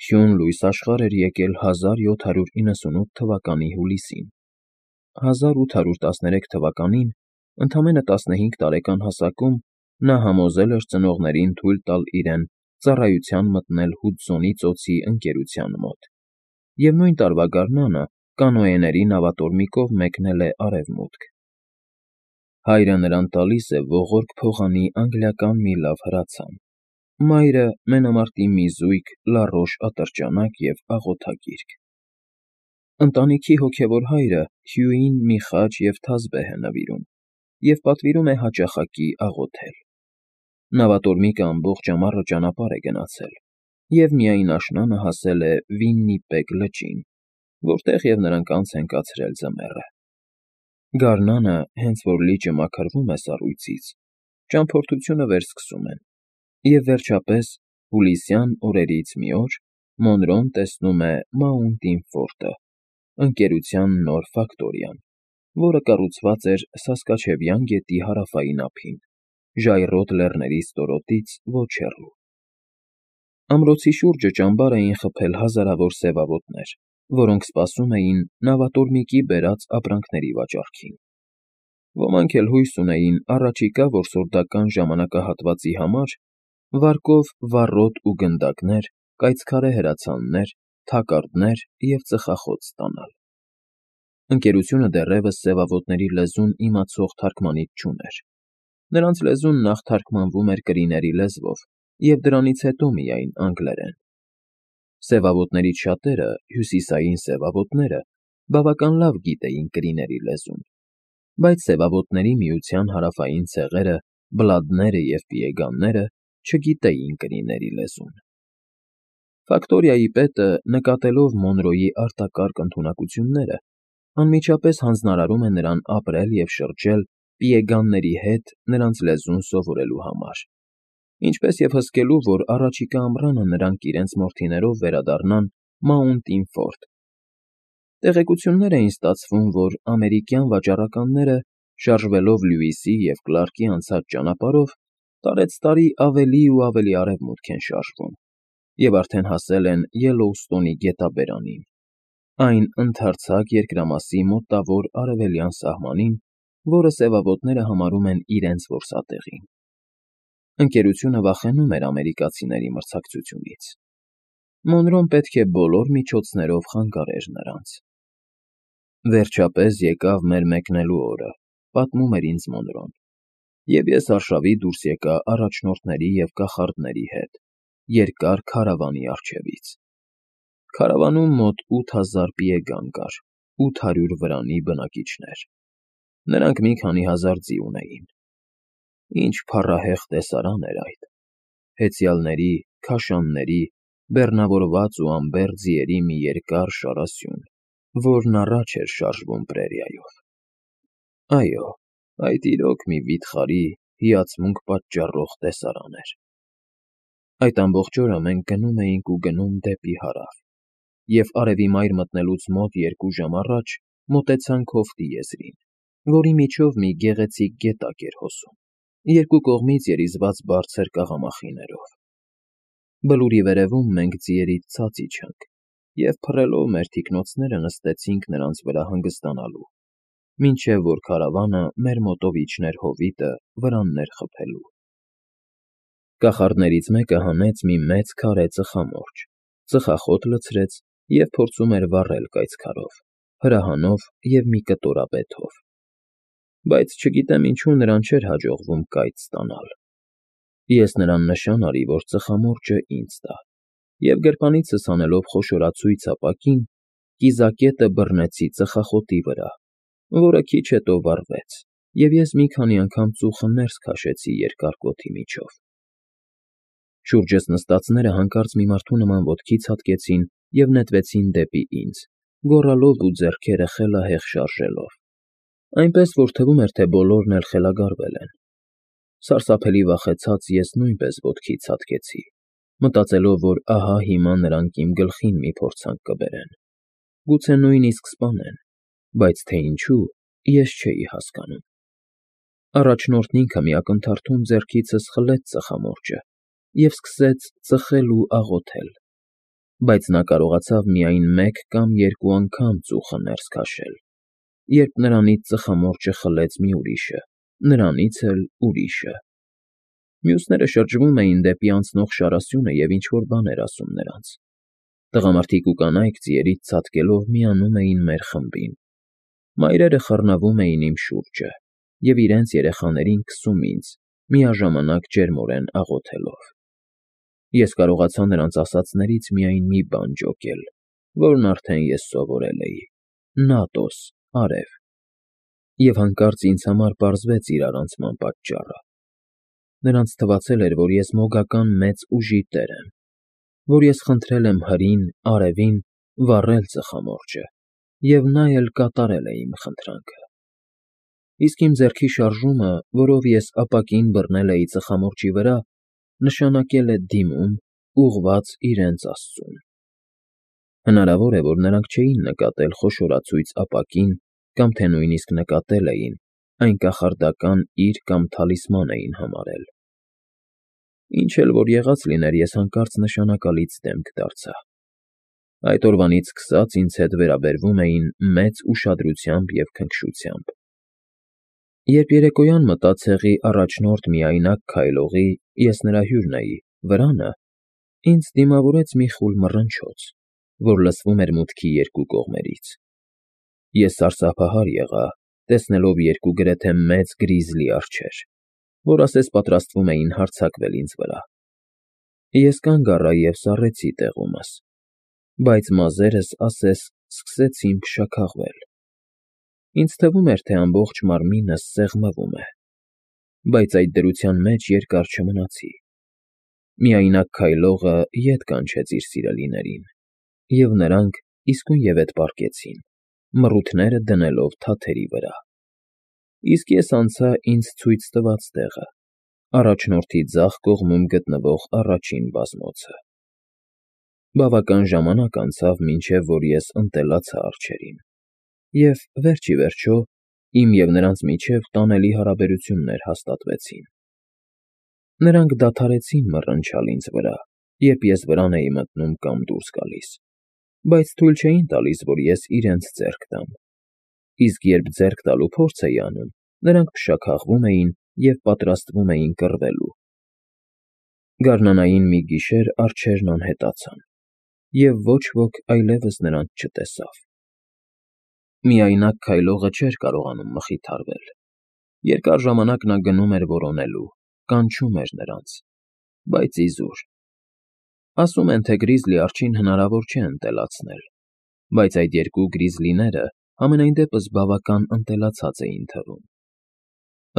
Հյուն լույս աշխարհ էր եկել 1798 թվականի հուլիսին։ 1813 թվականին, ընդամենը 15 տարեկան հասակում, նա համոզել էր ծնողներին թույլ տալ իրեն ծառայության մտնել Հուդսոնի ծոցի ընկերության մոտ, և նույն տարվա գարնանը կանոեների նավատորմիկով մեկնել է Արևմուտք։ Հայրը նրան տալիս է ողորկ փողանի անգլիական մի լավ հրացան, մայրը՝ մենամարտի մի զույգ լառոշ ատրճանակ և աղոթագիրք։ Ընտանիքի հոգևոր հայրը Հյուին մի խաչ և թազբեհ է նվիրում և պատվիրում է հաճախակի աղոթել։ Նավատորմիկը ամբողջ ամառը ճանապարհ է գնացել և միայն աշնանը հասել է Վիննիպեգ լճին, որտեղ և նրանք անց են կացրել ձմեռը։ Գարնանը, հենց որ լիճը մաքրվում է սառույցից, ճամփորդությունը վերսկսում են, և վերջապես, հուլիսյան օրերից մի օր, Մոնրոն տեսնում է Մաունտին Ֆորտը, ընկերության նոր ֆակտորիան, որը կառուցված էր Սասկաչևյան գետի հարավային ափին, ժայռոտ լեռների ստորոտից ոչ հեռու։ Ամրոցի շուրջը ճամբար էին խփել հազարավոր սևավոտներ, որոնք սպասում էին նավատորմիկի բերած ապրանքների վաճառքին։ Ոմանք էլ հույս ունեին առաջիկա որսորդական ժամանակահատվածի համար վարկով վառոդ ու գնդակներ, կայծքարե հրացաններ, թակարդներ և ծխախոտ ստանալ։ Ընկերությունը դեռևս սևավոտների լեզուն իմացող թարգմանիչ չուներ։ Նրանց լեզուն նախ թարգմանվում էր կրիների լեզվով և դրանից հետո միայն անգլերեն։ Սևավոտներից շատերը, հյուսիսային սևավոտները, բավական լավ գիտեին կրիների լեզուն, բայց Սևավոտների միության հարավային ցեղերը, բլադները և պիեգանները չգիտեին կրիների լեզուն։ Ֆակտորիայի պետը, նկատելով Մոնրոյի արտակարգ ընդունակությունները, անմիջապես հանձնարարում է նրան ապրել և շրջել պիեգանների հետ նրանց լեզուն սովորելու համար, ինչպես և հսկելու, որ առաջիկա ամռանը նրանք իրենց մորթիներով վերադառնան Մաունտին Ֆորտ։ Տեղեկություններ էին ստացվում, որ ամերիկյան վաճառականները, շարժվելով Լյուիսի և Կլարկի անցած ճանապարհով, տարեցտարի ավելի ու ավելի արևմուտք են շարժվում և արդեն հասել են Յելլոուստոնի գետաբերանին, այն ընդարձակ երկրամասի մոտավոր արևելյան սահմանին, որը սևավոտները համարում են իրենց որսատեղին։ Ընկերությունը վախենում էր ամերիկացիների մրցակցությունից։ Մոնրոն պետք է բոլոր միջոցներով խանգարեր նրանց։ Վերջապես եկավ մեր մեկնելու օրը, պատմում էր ինձ Մոնրոն, և ես արշավի դուրս եկա առաջնորդների և կախարդների հետ, երկար քարավանի առջևից։ Քարավանում մոտ 8000 պիեգան կար, 800 վրանի բնակիչներ։ Նրանք մի քանի հազար ձի ունեին։ Ինչ փառահեղ տեսարան էր այդ. հեծյալների, քաշանների, բեռնավորված ու անբեռ ձիերի մի երկար շարասյուն, որն առաջ էր շարժվում պրերիայով։ Այո, այդ իրոք մի վիթխարի, հիացմունք պատճառող տեսարան էր։ Այդ ամբողջ օրը մենք գնում էինք ու գնում դեպի հարավ, և արևի մայր մտնելուց մոտ 2 ժամ առաջ մոտեցանք հովտի եզրին, որի միջով մի գեղեցիկ գետակ էր հոսում, երկու կողմից երիզված բարձր կաղամախիներով։ Բլուրի վերևում մենք ձիերից ցած իջանք և փռելով մեր թիկնոցները նստեցինք նրանց վրա հանգստանալու, մինչև որ քարավանը մեր մոտով իջներ հովիտը վրաններ խփելու։ Կախարդներից մեկը հանեց մի մեծ քարե ծխամորճ, ծխախոտ լցրեց և փորձում էր վառել կայծքարով, հրահանով և մի կտորապեթով։ Բայց չգիտեմ ինչու նրան չէր հաջողվում կայծ ստանալ։ Ես նրան նշան արի, որ ծխամորճը ինձ տա, և գրպանիցս հանելով խոշորացույց ապակին, կիզակետը բռնեցի ծխախոտի վրա, որը քիչ հետո վառվեց, և ես մի քանի անգամ ծուխը ներս քաշեցի երկար կոթի միջով։ Շուրջս նստածները հանկարծ մի մարդու նման ոտքի ցատկեցին և նետվեցին դեպի ինձ, գոռալով ու ձեռքերը խելահեղ շարժելով, այնպես որ թվում էր, թե բոլորն էլ խելագարվել են։ Սարսափելի վախեցած ես նույնպես ոտքի ցատկեցի, մտածելով, որ ահա հիմա նրանք իմ գլխին մի փորձանք կբերեն, գուցե նույնիսկ սպանեն, բայց թե ինչու, ես չէի հասկանում։ Առաջնորդն ինքը մի ակնթարթում ձեռքիցս խլեց ծխամորճը և սկսեց ծխել ու աղոթել։ բայց նա կարողացավ միայն մեկ կամ երկու անգամ ծուխը ներս քաշել, երբ նրանից ծխամորճը խլեց մի ուրիշը, նրանից էլ ուրիշը։ Մյուսները շրջվում էին դեպի անցնող շարասյունը և ինչ֊որ բան էր ասում նրանց։ Տղամարդիկ ու կանայք ձիերից ցատկելով միանում էին մեր խմբին։ Մայրերը խռնվում էին իմ շուրջը և իրենց երեխաներին քսում ինձ, միաժամանակ ջերմորեն աղոթելով։ Ես կարողացա նրանց ասածներից միայն մի բան ջոկել, որն արդեն ես սովորել էի. «Նատոս, արև»։ Եվ հանկարծ ինձ համար պարզվեց իր առանցման պատճառը։ Նրանց թվացել էր, որ ես մոգական մեծ ուժի տեր եմ, որ ես խնդրել եմ հրին, արևին, վառել ծխամորճը, և նա էլ կատարել է իմ խնդրանքը։ Իսկ իմ ձեռքի շարժումը, որով ես ապակին բռնել էի ծխամորճի վրա, նշանակել է դիմում, ուղղված իրենց Աստծուն։ Հնարավոր է, որ նրանք չէին նկատել խոշորացույց ապակին կամ թե նույնիսկ նկատել էին, այն կախարդական իր կամ թալիսման էին համարել։ Ինչ էլ որ եղած լիներ, ես հանկարծ նշանակալից դեմք դարձա։ Այդ օրվանից սկսած ինձ հետ վերաբերվում էին մեծ ուշադրությամբ և քնքշությամբ։ Երբ երեկոյան մտա ցեղի առաջնորդ միայնակ քայլողի, ես նրա հյուրն էի, վրանը, ինձ դիմավորեց մի խուլ մռնչոց, որ լսվում էր մուտքի երկու կողմերից։ Ես սարսափահար եղա, տեսնելով երկու գրեթե մեծ գրիզլի արջեր, որ ասես պատրաստվում էին հարձակվել ինձ վրա։ Ես կանգ առա և սառեցի տեղումս, բայց մազերս ասես սկսեցին փշաքաղվել։ Ինձ թվում էր, թե ամբողջ մարմինս սեղմվում է, բայց այդ դրության մեջ երկար չմնացի։ Միայնակ քայլողը ետ կանչեց իր սիրելիներին, և նրանք իսկույնևեթ պառկեցին, մռութները դնելով թաթերի վրա։ Իսկ ես անցա ինձ ցույց տված տեղը, առաջնորդի ձախ կողմում գտնվող առաջին բազմոցը։ Բավական ժամանակ անցավ, մինչև որ ես ընտելացա արջերին, և, վերջ ի վերջո, իմ և նրանց միջև տանելի հարաբերություններ հաստատվեցին։ Նրանք դադարեցին մռնչալ ինձ վրա, երբ ես վրան էի մտնում կամ դուրս գալիս, բայց թույլ չէին տալիս, որ ես իրենց ձեռք տամ, իսկ երբ ձեռք տալու փորձ էի անում, նրանք փշաքաղվում էին և պատրաստվում էին կռվելու։ Գարնանային մի գիշեր արջերն անհետացան, և ոչ ոք այլևս նրանց չտեսավ։ Միայնակ քայլողը չէր կարողանում մխիթարվել։ Երկար ժամանակ նա գնում էր որոնելու, կանչում էր նրանց, բայց իզուր։ Ասում են, թե գրիզլի արջին հնարավոր չէ ընտելացնել, բայց այդ երկու գրիզլիները համենայն դեպս բավական ընտելացած էին թվում։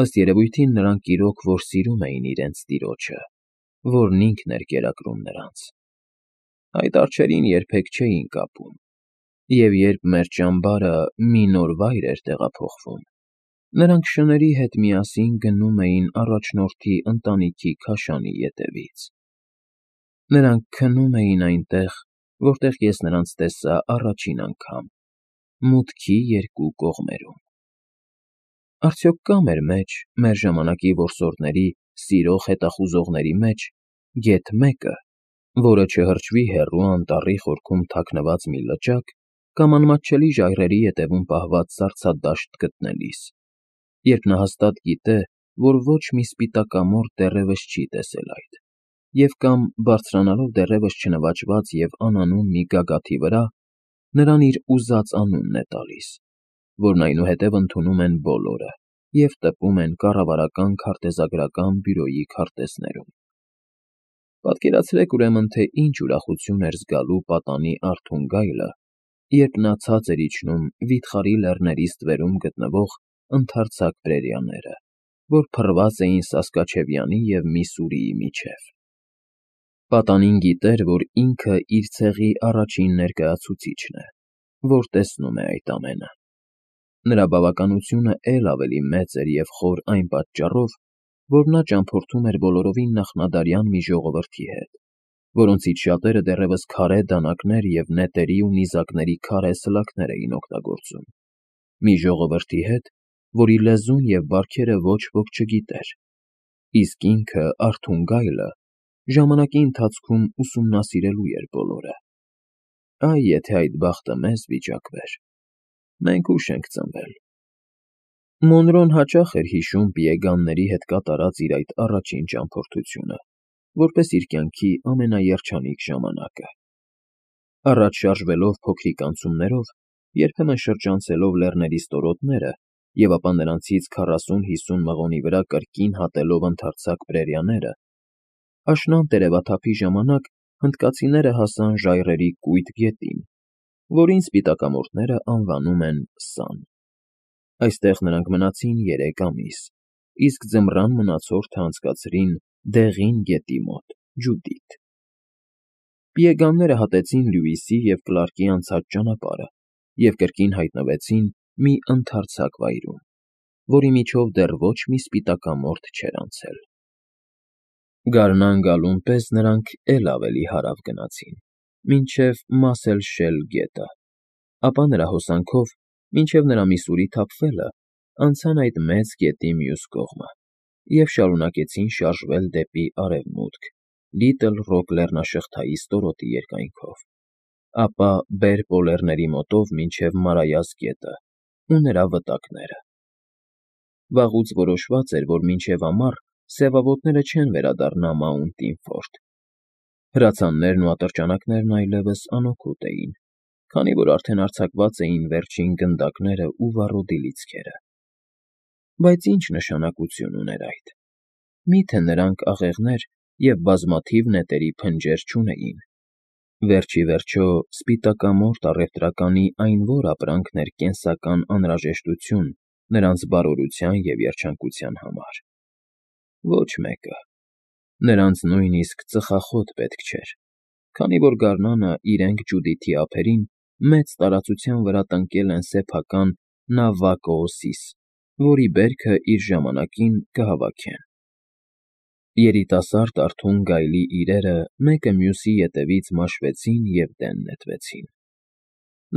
Ըստ երևույթին նրանք իրոք որ սիրում էին իրենց տիրոջը, որն ինքն էր կերակրում նրանց։ Այդ արջերին երբեք չէին կապում, և երբ մեր ճամբարը մի նոր վայր էր տեղափոխվում, նրանք շների հետ միասին գնում էին առաջնորդի ընտանիքի քաշանի ետևից։ Նրանք քնում էին այնտեղ, որտեղ ես նրանց տեսա առաջին անգամ, մուտքի երկու կողմերում։ Արդյոք կա մեր մեջ, մեր ժամանակի որսորդների, սիրող հետախուզողների մեջ գեթ մեկը, որը չհրճվի հեռու անտառի խորքում թաքնված մի լճակ կամ անմատչելի ժայռերի ետևում պահված սառցադաշտ գտնելիս, երբ նա հաստատ գիտե, որ ոչ մի սպիտակամորթ դեռևս չի տեսել այդ, և կամ, բարձրանալով դեռևս չնվաճված և անանուն մի գագաթի վրա, նրան իր ուզած անունն է տալիս, որն այնուհետև ընդունում են բոլորը և տպում են կառավարական քարտեզագրական բյուրոյի քարտեզներում։ Պատկերացրեք, ուրեմն, թե ինչ ուրախություն էր զգալու պատանի արթուն գայլը, երբ նա ցած էր իջնում վիթխարի լեռների ստվերում գտնվող ընդարձակ պրերիաները, որ փռված էին Սասկաչևյանի և Միսսուրիի միջև։ Պատանին գիտեր, որ ինքը իր ցեղի առաջին ներկայացուցիչն է, որ տեսնում է այդ ամենը։ Նրա բավականությունը էլ ավելի մեծ էր և խոր այն պատճառով, որ նա ճամփորդում էր բոլորովին նախնադարյան մի ժողովրդի հետ, որոնցից շատերը դեռևս քարե դանակներ և նետերի ու նիզակների քարե սլաքներ էին օգտագործում, մի ժողովրդի հետ, որի լեզուն և բարքերը ոչ ոք չգիտեր, իսկ ինքը՝ արթուն գայլը, ժամանակի ընթացքում ուսումնասիրելու էր բոլորը, Այ եթե այդ բախտը մեզ վիճակվեր, մենք ուշ ենք ծնվել։ Մոնրոն հաճախ էր հիշում պիեգանների հետ կատարած իր այդ առաջին ճամփորդությունը, որպես իր կյանքի ամենաերջանիկ ժամանակը։ Առաջ շարժվելով փոքրիկ անցումներով, երբեմն շրջանցելով լեռների ստորոտները և ապա նրանցից 40-50 մղոնի վրա կրկին հատելով ընդարձակ prairie-ները, աշնան տերևաթափի ժամանակ հնդկացիները հասան ժայռերի կույտ գետին, որին սպիտակամորթները անվանում են Sun։ Այստեղ նրանք մնացին 3 ամիս, իսկ ձմռան մնացորդը անցկացրին Դեղին գետի մոտ, Ջուդիթ։ Պիեգանները հատեցին Լյուիսի և Կլարկի անցած ճանապարհը և կրկին հայտնվեցին մի ընդարձակ վայրում, որի միջով դեռ ոչ մի սպիտակամորթ չէր անցել։ Գարնան գալուն պես նրանք էլ ավելի հարավ գնացին, մինչև Մասել-Շել գետը, ապա նրա հոսանքով, մինչև նրա Միսսուրի թափվելը, անցան այդ մեծ գետի մյուս կողմը և շարունակեցին շարժվել դեպի արևմուտք Լիտլ Ռոք լեռնաշղթայի ստորոտի երկայնքով, ապա Բեր պոլերների մոտով մինչև Մարայას գետը ու նրա վտակները։ Վաղուց որոշված էր, որ մինչև ամառ սևավոտները չեն վերադառնա Մաունտին Ֆորդ։ Հրացաններն ու ատրճանակներն այլևս անօգուտ էին, քանի որ արդեն արձակված էին վերջին գնդակները ու վառոդի լիցքերը։ Բայց ինչ նշանակություն ուներ այդ։ Մի՞թե նրանք աղեղներ և բազմաթիվ նետերի փնջեր չունեին։ Վերջ ի վերջո, սպիտակամորթ առևտրականի այն որ ապրանքն էր կենսական անհրաժեշտություն նրանց բարօրության և երջանկության համար։ Ոչ մեկը։ Նրանց նույնիսկ ծխախոտ պետք չէր, քանի որ գարնանը իրենք Ջուդիթի ափերին մեծ տարածության վրա տնկել են սեփական Նավակոոսիս, որի բերքը իր ժամանակին կհավաքեն։ Երիտասարդ արթուն գայլի իրերը մեկը մյուսի ետևից մաշվեցին և դեն նետվեցին։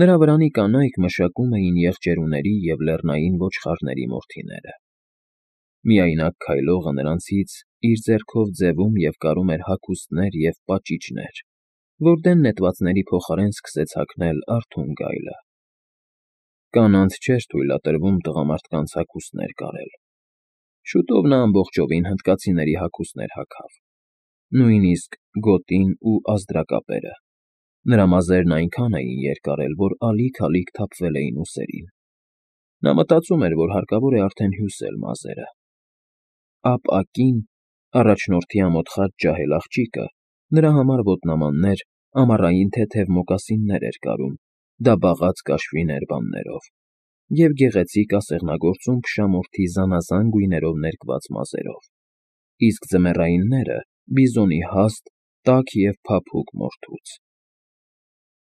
Նրա վրանի կանայք մշակում էին եղջերուների և լեռնային ոչխարների մորթիները։ Միայնակ քայլողը նրանցից իր ձեռքով ձևում և կարում էր հագուստներ և պաճիճներ, որ դեն նետվածների փոխարեն սկսեց հագնել արթուն գայլը։ Կանանց չէր թույլատրվում տղամարդկանց հագուստներ կարել։ Շուտով նա ամբողջովին հնդկացիների հագուստներ հագավ, նույնիսկ գոտին ու ազդրակապերը։ Նրա մազերն այնքան էին երկարել, որ ալիք-ալիք թափվել էին ուսերին։ Նա մտածում էր, որ հարկավոր է արդեն հյուսել մազերը։ Ապ-ակին, առաջնորդի ամոթխած ջահել աղջիկը, նրա համար ոտնամաններ, ամառային թեթև մոկասիններ էր կարում, դաբաղած կաշվի ներբաններով և գեղեցիկ ասեղնագործում փշամորթի զանազան գույներով ներկված մազերով, իսկ ձմեռայինները՝ բիզոնի հաստ, տաք և փափուկ մորթուց։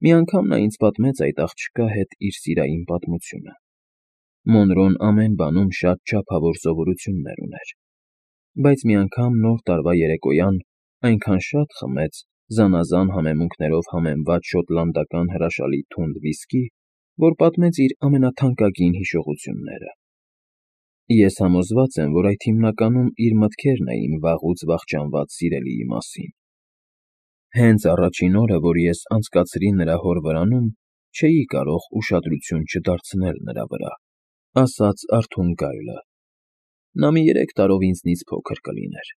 Մի անգամ նա ինձ պատմեց այդ աղջկա հետ իր սիրային պատմությունը։ Մոնրոն ամեն բանում շատ չափավոր սովորություններ ուներ, բայց մի անգամ Նոր տարվա երեկոյան այնքան շատ խմեց զանազան համեմունքներով համեմված շոտլանդական հրաշալի թունդ վիսկի, որ պատմեց իր ամենաթանկագին հիշողությունները։ Ես համոզված եմ, որ այդ հիմնականում իր մտքերն էին վաղուց վախճանված սիրելիի մասին։ Հենց առաջին օրը, որ ես անցկացրի նրա հոր վրանում, չէի կարող ուշադրություն չդարձնել նրա վրա, ասաց արթուն գայլը։ Նա մի 3 տարով ինձնից փոքր կլիներ,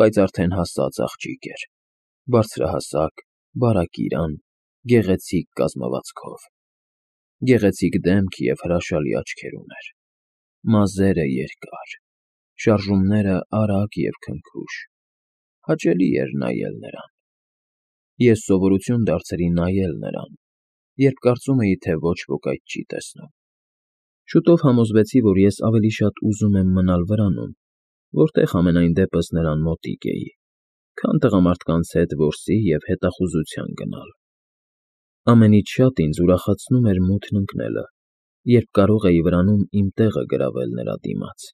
բայց արդեն հասած աղջիկ էր, բարձրահասակ, բարակիրան, գեղեցիկ կազմվածքով, գեղեցիկ դեմք և հրաշալի աչքեր ուներ, մազերը երկար, շարժումները արագ և քնքուշ, հաճելի էր նայել նրան։ Ես սովորություն դարձրի նայել նրան, երբ կարծում էի, թե ոչ ոք այդ չի տեսնում։ Շուտով համոզվեցի, որ ես ավելի շատ ուզում եմ մնալ վրանում, որտեղ համենայն դեպս նրան մոտիկ էի, քան տղամարդկանց հետ որսի և հետախուզության գնալ։ Ամենից շատ ինձ ուրախացնում էր մութն ընկնելը, երբ կարող էի վրանում իմ տեղը գրավել նրա դիմաց։